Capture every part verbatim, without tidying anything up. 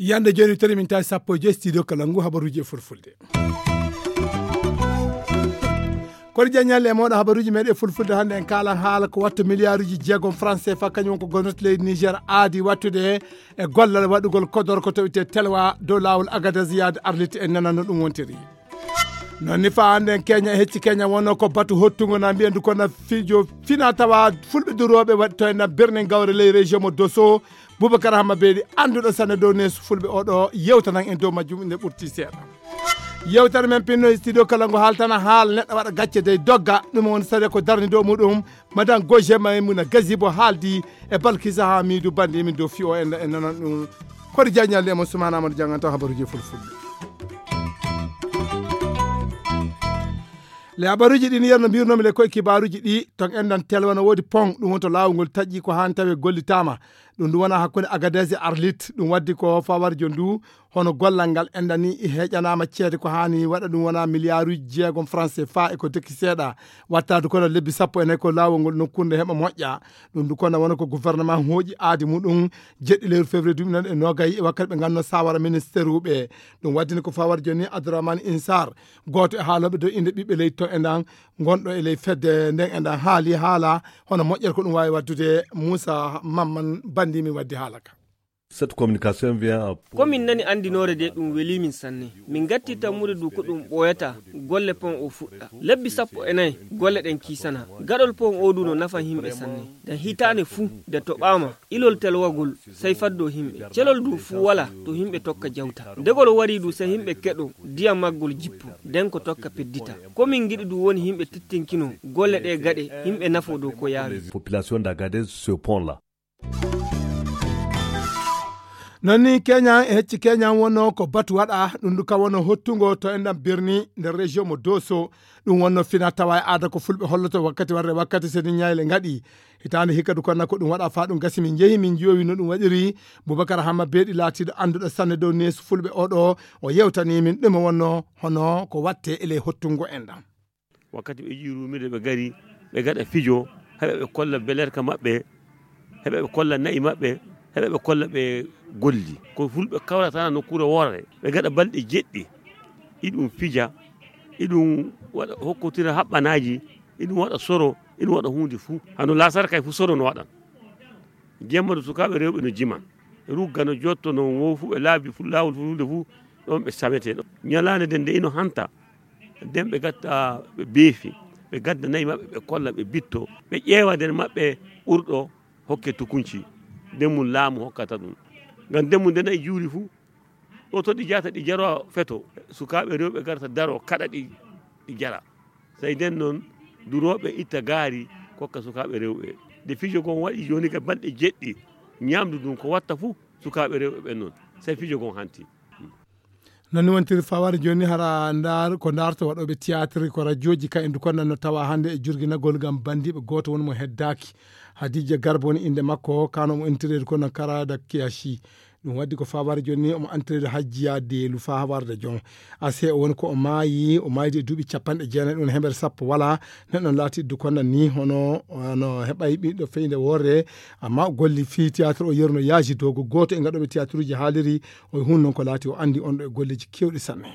Yande jooni, tawi min tawi sappo e joy studio kala ngu habaruuji e fulfulde. Kono jaññalle e mooɗo habaruuji meɗen fulfulde hannde, en kaalan haala ko watta miliyaaruuji jeegom franc C F A, kañum won ko gomnati leydi Niger aadi wattude e gollal waɗugol kodorko to wiyetee Telwa dow laawol Agadez yaade Arlit. En nananno ɗum wontiri. Noon ni, faa hannde en Keña, e hecci Keña wonno ko batu hottungo na mbiyen du kono fijo fina tawa fulɓe durooɓe waɗi to en na birni gawre ley région mo Doso. Boubacar Hamma Beeɗi, annduɗo sanne dow neesu fulɓe oɗo, yewtanan en dow majjum nde ɓurti seeɗa. Yewtere men pinno e studio kala ngo haaltana haala neɗɗo waɗa gacce dey dogga, ɗum woni sare ko darni dow muɗum. Madame Goje Maymuna Gazibo haaldi e Balkisa Hamidu Bandi min dow fiyo en, en nanan ɗum. Koɗi jaññalde e mo Sumana Amadou Janganto habaruji fulfulde. Le habaruji ɗin yerno mbirnomi le koye kibaruji ɗi ton endan telwa no woodi pont ɗum wonto laawol ngol taƴƴi ko haan tawi gollitaama. Ɗum ɗum wona hakkunde Agadez e Arlit, ɗum waddi ko fawarjo ndu. Hono gollal ngal enɗan ni heƴanaama ceede ko haani waɗa, ɗum wona miliyaaruuji jeegom franc C F A e ko deki seeɗa. Wattaadu kono lebbi sappo e nayi ko laawol ngol nokkuure nde heɓa moƴƴa. Ɗum ndu kono wona ko gouvernement hooƴi aadi muɗum jeɗɗi lewru février duuɓi nayi e noogay e wakkati ɓe ngannduno sawara ministère uɓe. Ɗum waddini ko fawar joni Abdourahmane Insar, gooto e haalooɓe dow innde ɓiɓɓe leydi to enɗan, gonɗo e ley fedde nden enɗan haali haala hono moƴƴere ko ɗum waawi waddude. Moussa Mamman Bandi mi waddi haala ka. Cette communication vient à Ko min nani anndinoore de ɗum welii min sanne. Min ngatti tammude du ko ɗum ɓooyata golle pont o fuɗɗa. Lebbi sappo e nayi golle ɗen kiisana. Gaɗol pont o du no nafa yimɓe sanne. Nde hitaande fuu nde toɓaama ilol telwagol sey faddo yimɓe. Celol du fuu wala to yimɓe tokka jawta. Ndegol warii du sey yimɓe keɗo ndiyam maggol jippo. Nden ko tokka peddita. Ko min ngiɗi du woni yimɓe tettinkino golle ɗe gaɗe yimɓe nafo dow ko yaawi. Population d'Agadez ce pont là. Noon ni Keñan e hecci Keñan wonno ko batu waɗa, ɗum ndu ka wonno hottungo to enɗan birni nder région mo Doso. Ɗum wonno fina tawa e aada ko fulɓe holloto wakkati warde wakkati seni ñayle ngaɗi. Hitaande hikka du konna ko ɗum waɗa faa ɗum gasi min njehi min njiyowi no ɗum waɗiri. Boubacar Hamma Beeɗi laatiiɗo annduɗo sanne dow neesu fulɓe oɗo, o yewtani min ɗum wonno hono ko watte e ley hottungo enɗan. Wakkati ɓe ƴiwi ruumirde, ɓe ngari, ɓe ngaɗa fijo, heɓa ɓe kolla belerka maɓɓe, heɓa ɓe kolla na'i maɓɓe, heɓa ɓe kolla ɓe golli. Ko fulɓe kawrata nokkuure woore, ɓe ngaɗa balɗe jeɗɗi, iɗum fija, iɗum waɗa, hokkotira haɓɓanaaji, iɗum waɗa soro, iɗum waɗa huunde fuu. Hano laasara kay fuu soro no waɗan. Jemma du sukaaɓe rewɓe no jiman. Rugga no jotto no woo fuu ɓe laabi fuu laawol fuu huunde fuu ɗon ɓe sametee ɗon. Ñalaande nden nde ino hanta, nden ɓe gatta ɓe beefi, ɓe gadda nayi maɓɓe, ɓe kolla, ɓe bitto, ɓe ƴeewa nder maɓɓe ɓurɗo hokke tukunci, nden mum laamu hokkata ɗum. Ngam nden mum nde nayi juuri fuu, ɗo to ɗi jahata ɗi jarowa feto, sukaaɓe rewɓe garta daro kaɗa ɗi, ɗi jara. Sey nden non durooɓe itta gaari kokka sukaaɓe rewɓe. Nde fijo gon waɗi jooni ka balɗe jeɗɗi, ñaamdu ndun ko watta fuu sukaaɓe rewɓe ɓen non. Sey fijo gon hanti. Non ni wontiri faware jooni, hara ndaar, ko ndaarta waɗooɓe théâtre, ko rajooji ka en du konnan no tawa hannde e jurginagol ngam bandiiɓe, gooto woni mo heddaaki. Hadija Garba woni innde makko, kano mo intirede kono Karada Kiyashi. Ɗum waddi ko faware jooni ni omo entraide Hajjiya Deelu faa warde jom. Ase o woni ko o maayi, o maaydi e duuɓi capanɗe jeenayi ɗum hemere sappo wala. Neɗɗo laati du konnan ni hono, hono heɓay ɓiɗɗo feyde worre, amma o golli fii théâtre o yerno yaaji dogo. Gooto e ngaɗooɓe théâtreji haaliri o e hun non ko laati o anndi on ɗo e golleji kewɗi sanne.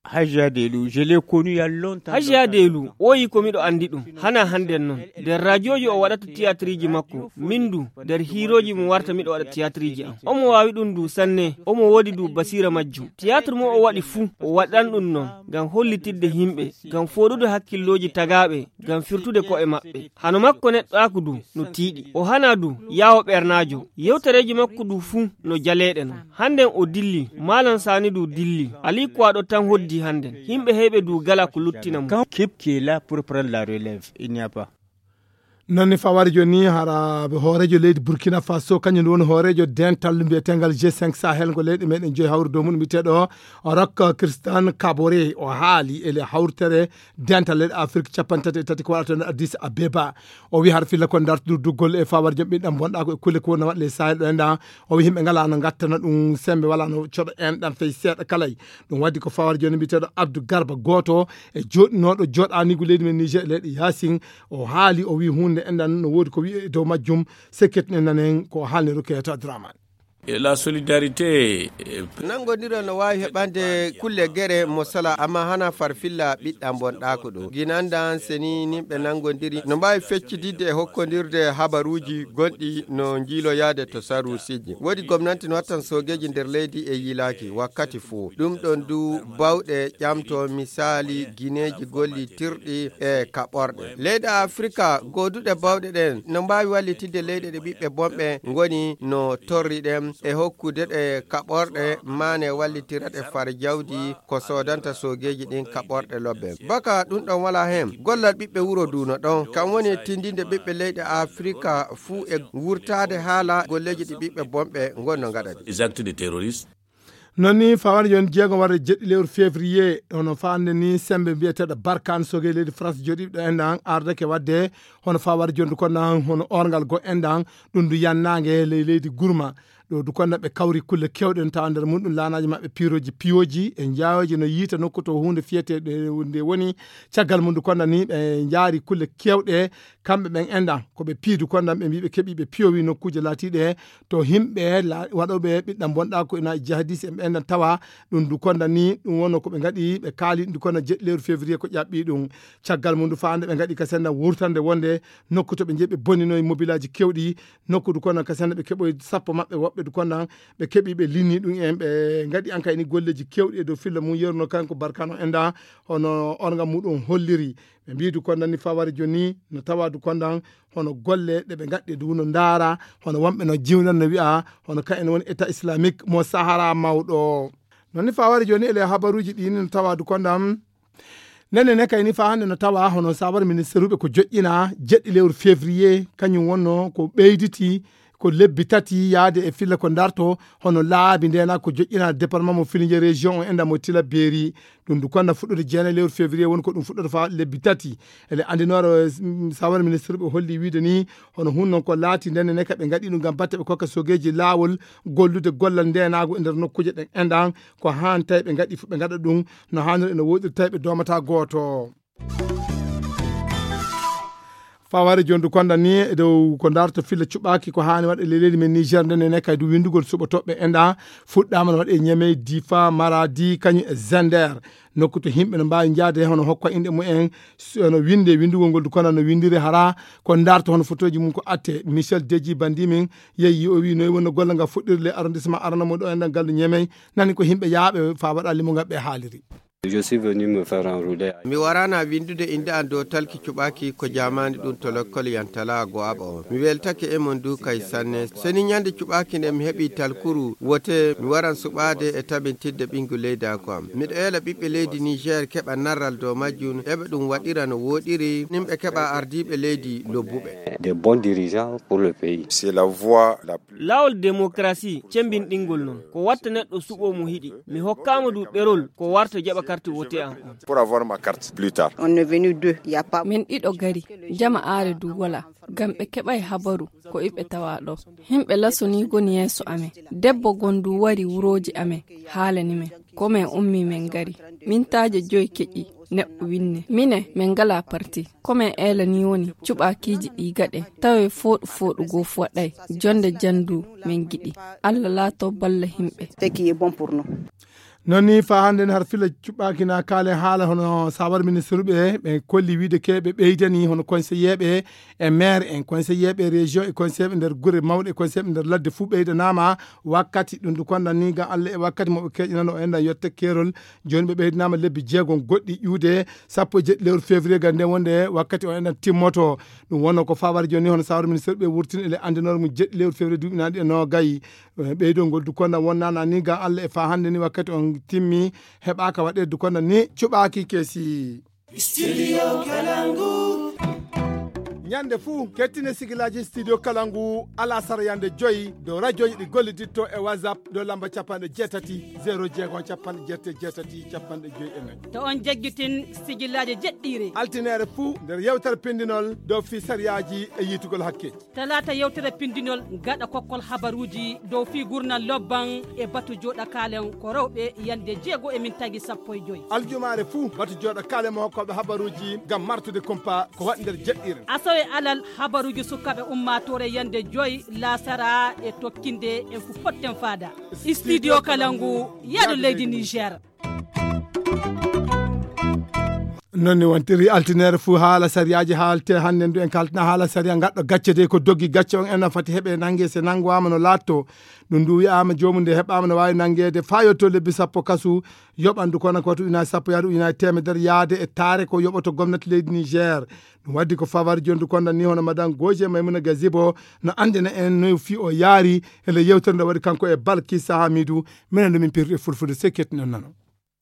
Hajiya Delu, je l'ai connu il y a longtemps. Hajiya Delu, oyi ko miɗo anndi ɗum, hana hannden non. Nder rajooji o waɗata tiyaatiriji makko, min du, nder hiirooji mo warta miɗo waɗa tiyaatiriji am. Omo waawi ɗum du sanne, omo woodi du basiira majjum. Tiyaatir mo o waɗi fuu, o waɗan ɗum non, ngam hollitidde yimɓe, ngam fooɗude hakkillooji tagaaɓe, ngam firtude ko'e maɓɓe. Hano makko neɗɗaaku du no tiiɗi. O hana du, yaawo ɓernaajo. Yewtereeji makko du fuu no jaleeɗe non. Hannden o dilli, Maalam Saani du dilli. Alii Kuwaaɗo tan hoddi hannden. Yimɓe heyɓe du gala ko luttina mo. Quand Kip qui est là pour prendre la relève, il n'y a pas. Noon ne fawaade jooni ni, hara hooreejo leydi Burkina Faso, kañum woni hooreejo dental mbiyetengal G cinq Sahel, ngo leyɗe meɗen joyi hawri dow mum, mbiyeteeɗo Rock Christian Kabore. O haali ele hawritere dental leyɗe Afrik capanɗe tati e tati ko waɗata no Addis Abeba. O wi har filla ko dartude duggol e fawaade joom ɓiɗɗam bonɗa ko e kulle ko wona waɗle Sahel ɗo enda. O wi himɓe ngala no gattana ɗum sembe wala no coɗo en ɗan fey seeɗa kalay. Ɗum waddi ko fawaade jooni mbiyeteeɗo Abdou Garba, gooto e joɗɗinooɗo joɗanigu leydi men Niger e leyɗe Yasin. O haali, o wi huunde enɗan no woodi ko wi'e e dow majjum. Sekket ne nanen ko haalni Rukayatu Abdourahmane. E la solidarité, eh, Nanngondiral no waawi heɓande kulle gere mo sala, amma hana farfilla ɓiɗɗam bonɗaako ɗo. Ginandan seni nimɓe nanngondiri no mbaawi feccididde e hokkondirde habaruuji gonɗi no njiiloyaade to saruusiji. Woodi gomnanti no wattan soogeeji nder leydi e yiilaaki wakkati fuu. Ɗum ɗon du bawɗe ƴamto misaali gineeji gollitirɗi e kaɓorɗe. Leyɗe Afrika gooduɗe bawɗe ɗen no mbaawi wallitidde leyɗe ɗe ɓiɓɓe bonɓe ngoni no torri ɗen e hokkude ɗe kaɓorɗe maane wallitira ɗe far jawdi ko soodanta soogeeji ɗin kaɓorɗe lobbe. Baka ɗum ɗon wala hen, gollal ɓiɓɓe wuro du no ɗon. Kam woni tindinde ɓiɓɓe leyɗe Afrika fuu e wurtaade haala golleeji ɗi ɓiɓɓe bonɓe ngon no ngaɗa ɗi. Les actes de terroristes. Noon ni, fawaade jooni jeego warde jeɗɗi lewru février, hono faande ni sembe mbiyeteeɗo Barkhane Soge leydi France joɗiiɗo en ɗan ardake wadde hono fawaade jooni du konda hono orngal go en ɗan, ɗum du yannaange ley leydi Gurma. Ɗo du konda ɓe kawri kulle kewɗe no tawa nder mum ɗum laanaaji maɓɓe piirooji piyoji e njaaweeji no yiita nokku to huunde fiyeteeɗe nde woni. Caggal mum du konda ni ɓe njaari kulle kewɗe kamɓe ɓen enɗan ko ɓe piidu kondan ɓe mbi ɓe keɓi ɓe piyowi nokkuuje laatiiɗe to himɓe la- waɗooɓe ɓiɗɗam bonɗa ko ina jihadis en ɓe enɗan tawa. Ɗum du kondan ni ɗum wonno ko ɓe ngaɗi ɓe kaali ɗum du kondan jeɗɗi lewru février ko ƴaɓɓi ɗum. Caggal mum du faande ɓe ngaɗi ka sendan wurtande wonde nokku to ɓe jeeɓe boninoye mobilaji kewɗi nokku du kondan ka sendan ɓe keɓoyi sappo maɓɓe woɓɓe du kondan ɓe keɓi ɓe linni ɗum en ɓe ngaɗi ankayni golleji kewɗi e dow filla mum yeruno kanko barkano enɗan hono orga muɗum holliri. Ɓe mbiidu kondan ni fawari joni no tawadu kondan hono golle ɗe ɓe ngaɗɗi du no ndaara hono wonɓe no jiwnan no wi'a hono ka en woni état islamique mo sahara mawɗo. Non ni fawari joni ele habaruji ɗi ni no tawadu kondan nene ne kayni fa hande no tawa hono sabar ministeruɓe ko joƴƴina jeɗɗi lewru février kañum wonno ko ɓeyditi ko lebbi tati yaade e filla ko darto hono laabi ndena ko joƴƴina département mo filinje région o enda mo tila beeri. Ɗum du konda fuɗɗude jeenayi lewru février woni ko ɗum fuɗɗata fa lebbi tati. Ele andinore sawar ministre ɓe holli wiide ni hono hun non ko laati ndenne ne ka ɓe ngaɗi ɗum ngam batte ɓe kokka sogeji laawol gollude gollal ndenago e nder nokkuje ɗen enɗan ko han tawi ɓe ngaɗi fu ɓe ngaɗa ɗum no hanir ene woɗiri tawi ɓe domata gooto. Faware jondu konda ni e dow ko darto filla cuɓaki ko hani waɗa le leydi men niger nde nene kay du windugol suɓa toɓɓe enɗa fuɗɗama no waɗe ñamey difa maradi kañum e zender. Nokku to himɓe no mbawi jaade hono hokka inɗe mumen hono winde windugol ngol du konda no windiri hara ko darto hono fotoji mum ko atte michel deji bandi min yeyi o wi noyi wonno golle nga fuɗɗirle arrondissement arana mo ɗo enɗan gallu ñamey nani ko himɓe yaaɓe fa waɗa limo ngal ɓe haaliri. Je suis venu me faire enrôler. Mi warana windude innde an dow talki cuɓaaki ko jaamaani ɗum to lokkol yantala go aɓa on. Mi weltake e mon du kay sanne. Seni ñande cuɓaaki nde mi heɓi talkuru wote mi waran suɓaade e tabintidde ɓingu leydaako am. Miɗo eela ɓiɓɓe leydi Niger keɓa narral dow majjum eɓe ɗum waɗira no woɗiri nimɓe keɓa ardiiɓe leydi lobbuɓe. Des bons dirigeants pour le pays. C'est la voie la plus. Laawol démocratie cembinɗingol non ko watta neɗɗo suɓo mo hiɗi. Mi hokkama du ɗerol ko warta jaɓa carte wote an on. Pour avoir ma carte plus tard. On est venu deux, y a pas. Min ɗiɗo gari, jama are du wala, ngam ɓe keɓay habaru ko iɓe tawa ɗo. Himɓe lasoni goni yeeso amen. Debbo gon du wari wuroji amen, haalani men. Ko men ummi men gari. Mintaaje joyi keƴi neɗɗo winne. Mine men ngala parti. Ko men eela ni woni cuɓaakiiji ɗi gaɗe tawe fooɗu fooɗu goo fu waɗay. Jonde jandu men giɗi. Allah laato balla himɓe. Ce qui est bon pour nous. Non ni fa hande har fila cuɓaaki na kaale haala hono sabar ministre ɓe ɓe kolli wiide ke ɓe ɓeydani hono conseiller ɓe e maire en conseiller ɓe région e conseiller ɓe nder gure mawɗe e conseiller ɓe nder ladde fuu ɓeydanama wakkati ɗum du kondan ni gam Allah e wakkati mo ɓe keƴinano o enɗan yette keerol. Joni ɓe ɓeydinama lebbi jeegom goɗɗi ƴuude sappo e jeɗɗi lewru février gam nden wonde wakkati o enɗan timmoto. Ɗum wonno ko fawari joni hono sawara ministre ɓe wurtini ele andinore mum jeɗɗi lewru février duuɓi naaɗi e nogayi. Ɓeydol ngol du kondan wonnana ni gam Allah e fa hande ni wakkati on timmi heɓaka waɗe du kondan ni cuɓaki kesi. Studio Kalangu. Ñande fuu, kettine sigilaaji studio kala ngu alasara yande joyi dow rajooji ɗi golliditto e WhatsApp dow lamba capanɗe jeetati, zero jeego, capanɗe jeetati, jeetati, capanɗe joyi e nayi. To on jaggitin sigilaaji jeɗɗiire. Altineere fuu nder yewtere pindinol dow fii sariyaaji e yiitugol hakkeeji. Talaata yewtere pindinol gaɗa kokkol habaruuji dow fii gurnal lobban e batu jooɗa kaalen ko rewɓe yande jeego e min tagi sappo e joyi. Aljumaare fuu batu jooɗa kaalen mo hokkooɓe habaruuji ngam martude kumpa ko waɗi nder jeɗɗiire. Asawe alal habaruuji sukaaɓe ummaatoore yande joyi laasara e tokkinde en fu potten faada. Studio kala ngu yaadu leydi Niger. Non ni wontiri, altineere fuu haala sariyaaji haalte. Hannde ndu en kaltina haala sariya gaɗɗo gacce dey ko doggi gacce on ena fati heɓe nange, se nangwaama no laatto. Ɗum ndu wi'aama joomum nde heɓaama no waawi nangeede faa yotto lebbi sappo kasu, yoɓandu kono ko to ujunaaji sappo yaade ujunaaji teemedere yaade e taare ko yoɓoto gomnati leydi Niger. Ɗum waddi ko fawaade jonndu konda ni hono Madan Goje Maymuna Gazibo no anndina en no fii o yaari e le yewtere nde waɗi kanko e Balkisa Hamidu. Minen nde min pirti e fulfulde se kettinon nano.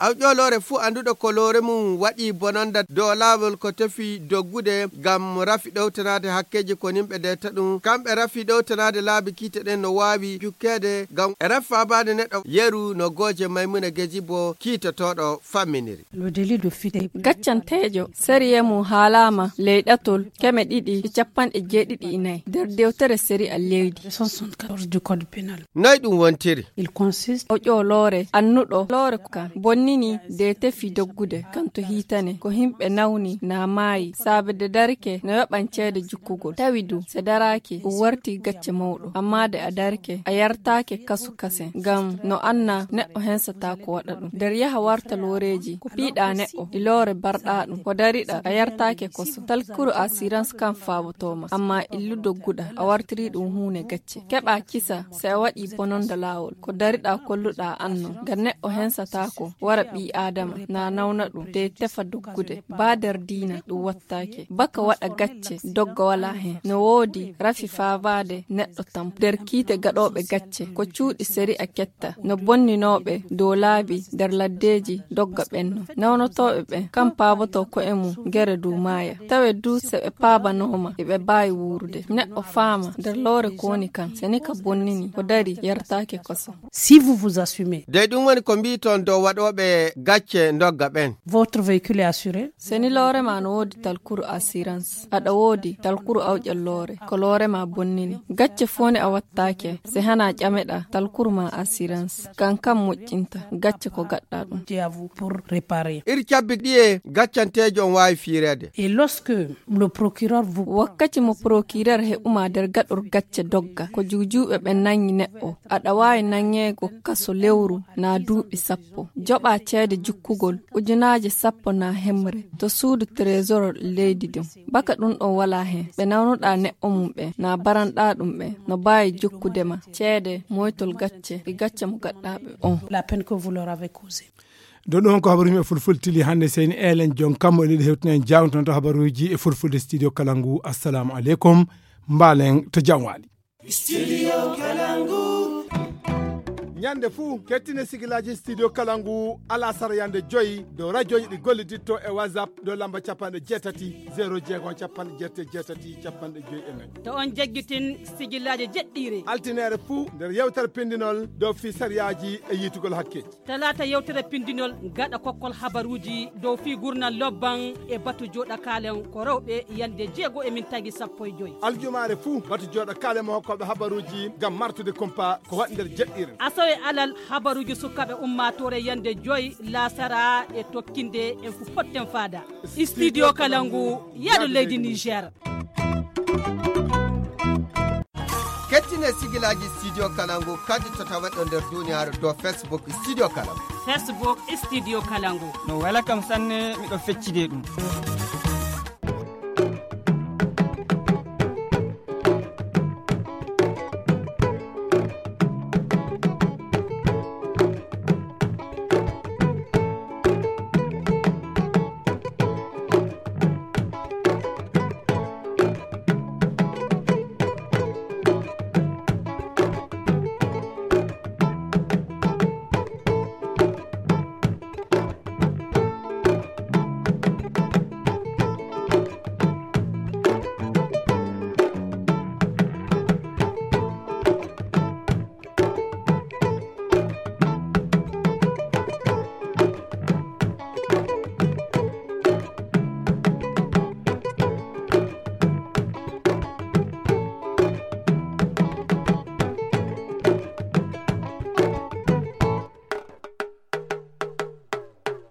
Awƴoloore fuu annduɗo ko loore mum waɗi bononda dow laawol ko tefi doggude ngam rafi ɗowtanaade hakkeeji ko nimɓe deeta ɗum. Kamɓe rafi ɗowtanaade laabi kiite ɗen no waawi jukkeede ngam rafi faabaade neɗɗo yeru no Gooje Maymuna Geji bo kiitotooɗo famminiri. Le délit de fuite. Gaccanteejo, sariya mum haalaama ley ɗatol keme ɗiɗi e capanɗe jeeɗiɗi e nayi nder dewtere sariya leydi. Cent soixante-quatorze du code pénal. Noy ɗum wontiri? Il consiste o ƴooloore annuɗo loore kan bonnini de tefi doggude kan to hiitane ko himɓe nawni na maayi saabe de darike no yoɓan ceede jukkugol. Tawi du se daraaki o warti gacce mawɗo, amma de a darike a yartaake kasu kasen ngam no anna neɗɗo hensata ko waɗa ɗum. Nder yaha warta looreeji ko piiɗa neɗɗo e loore barɗa ɗum ko dariɗa a yartaake koso. Talkuru assurance kan faabotooma, amma illu dogguɗa a wartiri ɗum huune gacce. Keɓa kisa se a waɗi bononda laawol. Ko dariɗa kolluɗa anno. Ngam neɗɗo hensataako wara ɓii Aadama na nawna ɗum de tefa doggude. Ba nder diina ɗum wattaake. Baka waɗa gacce dogga wala hen. No woodi rafi faabaade neɗɗo tampo. Nder kiite gaɗooɓe gacce ko cuuɗi sariya ketta no bonninooɓe dow laabi nder laddeeji dogga ɓenno. Nawnotooɓe ɓen kam paaboto ko'e mum gere dow maaya. Tawe du se ɓe paabanooma eɓe baawi wuurude. Neɗɗo faama nder loore ko woni kan, se ni ka bonnini ko dari yartaake koso. Si vous vous assumez. De ɗum woni ko mbiiton dow waɗooɓe gacce ndogga ɓen. Votre véhicule est assuré. Se ni loore ma no woodi talkuru assurance, aɗa woodi talkuru awƴal loore, ko loore ma bonnini. Gacce fuu ne a wattaake, se hana ƴameɗa talkuru ma assurance. Kan kam moƴƴinta gacce ko gaɗɗa ɗum. Dieu à vous pour réparer. Iri cabbi ɗiye gaccanteejo on waawi fiireede. Et lorsque le procureur vous. Wakkati mo procureur heɓuma nder gaɗor gacce dogga, ko juujuuɓe ɓen nangi neɗɗo, aɗa waawi nangeego kaso lewru na duuɓi sappo. Joɓa ceede jukkugol ujunaaje sappo na hemre to suudu trésor leydi ɗum. Baka ɗum ɗon wala hen. Ɓe nawnuɗa neɗɗo mum ɓe na baranɗa ɗum ɓe no baawi jokkude ma ceede moytol gacce e gacce mo gaɗɗa ɓe on. La peine que vous leur avez causée. Ɗo ɗum ko habaruuji e fulfulde tili hannde. Seyni Elen Jon Kammo ene yiɗi hewtina en jawntonto habaruuji e fulfulde studio kala ngu. Assalamu aleykum. Mbaalen to jam waali. Studio Kalangu. Ñande fuu, kettine sigilaaji Studio Kalangu alasara yande joyi dow rajooji ɗi golliditto e WhatsApp dow lamba capanɗe jeetati, zero jeego, capanɗe jeetati, jeetati, capanɗe joyi e nayi. To on jaggitin sigilaaji jeɗɗiire. Altineere fuu nder yewtere pindinol dow fii sariyaaji e yiitugol hakkeeji. Talaata yewtere pindinol gaɗa kokkol habaruuji dow fii gurnal lobban e batu jooɗa kaalen ko rewɓe yande jeego e min tagi sappo e joyi. Aljumaare fuu batu jooɗa kaalen mo hokkooɓe habaruuji ngam martude kumpa ko waɗi nder jeɗɗiire. Asawe alal habaruuji sukaaɓe ummaatoore yande joyi laasara e tokkinde en fu potten faada. Studio kala ngu yaadu leydi Niger. Kettine sigilaaji Studio Kalangu kadi to taweɗo nder duniyaaru dow Facebook Studio Kalangu. Facebook Studio Kalangu. No wela kam sanne, miɗo feccide ɗum.